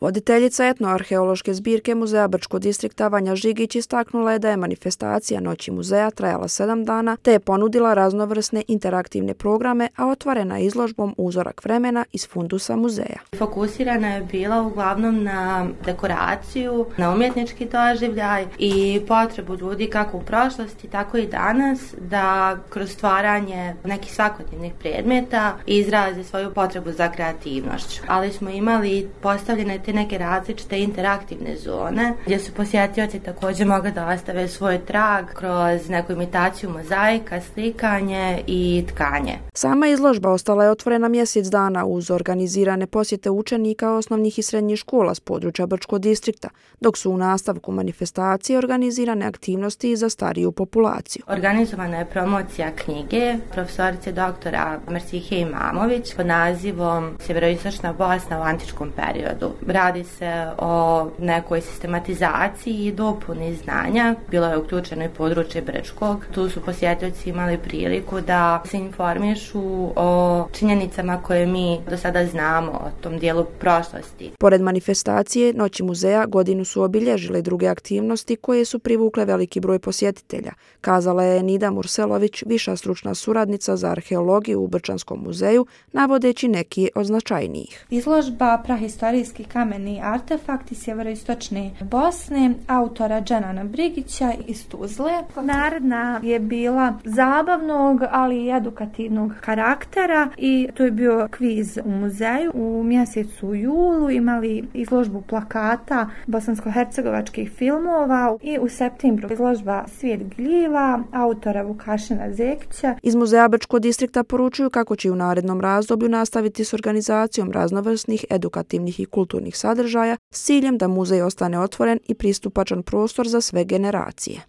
Voditeljica etnoarheološke zbirke Muzeja Brčko distrikta Vanja Žigić istaknula je da je manifestacija Noći muzeja trajala 7 dana te je ponudila raznovrsne interaktivne programe, a otvorena je izložbom Uzorak vremena iz fundusa muzeja. Fokusirana je bila uglavnom na dekoraciju, na umjetnički doživljaj i potrebu ljudi kako u prošlosti, tako i danas da kroz stvaranje nekih svakodnevnih predmeta izraze svoju potrebu za kreativnošću. Ali smo imali postavljene te neke različite interaktivne zone gdje su posjetioci također mogli da ostave svoj trag kroz neku imitaciju mozaika, slikanje i tkanje. Sama izložba ostala je otvorena mjesec dana uz organizirane posjete učenika osnovnih i srednjih škola s područja Brčko distrikta, dok su u nastavku manifestacije organizirane aktivnosti za stariju populaciju. Organizovana je promocija knjige profesorice doktora Mersihe Imamović pod nazivom Sjeveroistočna Bosna u antičkom periodu. Radi se o nekoj sistematizaciji i dopuni znanja. Bilo je uključeno i područje Brčkog. Tu su posjetioci imali priliku da se informišu o činjenicama koje mi do sada znamo o tom dijelu prošlosti. Pored manifestacije Noći muzeja godinu su obilježile druge aktivnosti koje su privukle veliki broj posjetitelja, kazala je Nida Murselović, viša stručna suradnica za arheologiju u Brčanskom muzeju, navodeći neki od značajnijih. Izložba Prahistorijski kameni artefakti sjeveroistočne Bosne, autora Dženana Brigića iz Tuzle. Naredna je bila zabavnog, ali i edukativnog karaktera i to je bio kviz u muzeju. U mjesecu julu imali izložbu plakata bosansko-hercegovačkih filmova i u septembru izložba Svijet gljiva autora Vukašina Zekića. Iz Muzeja Brčko distrikta poručuju kako će u narednom razdoblju nastaviti s organizacijom raznovrsnih edukativnih i kulturnih sadržaja s ciljem da muzej ostane otvoren i pristupačan prostor za sve generacije.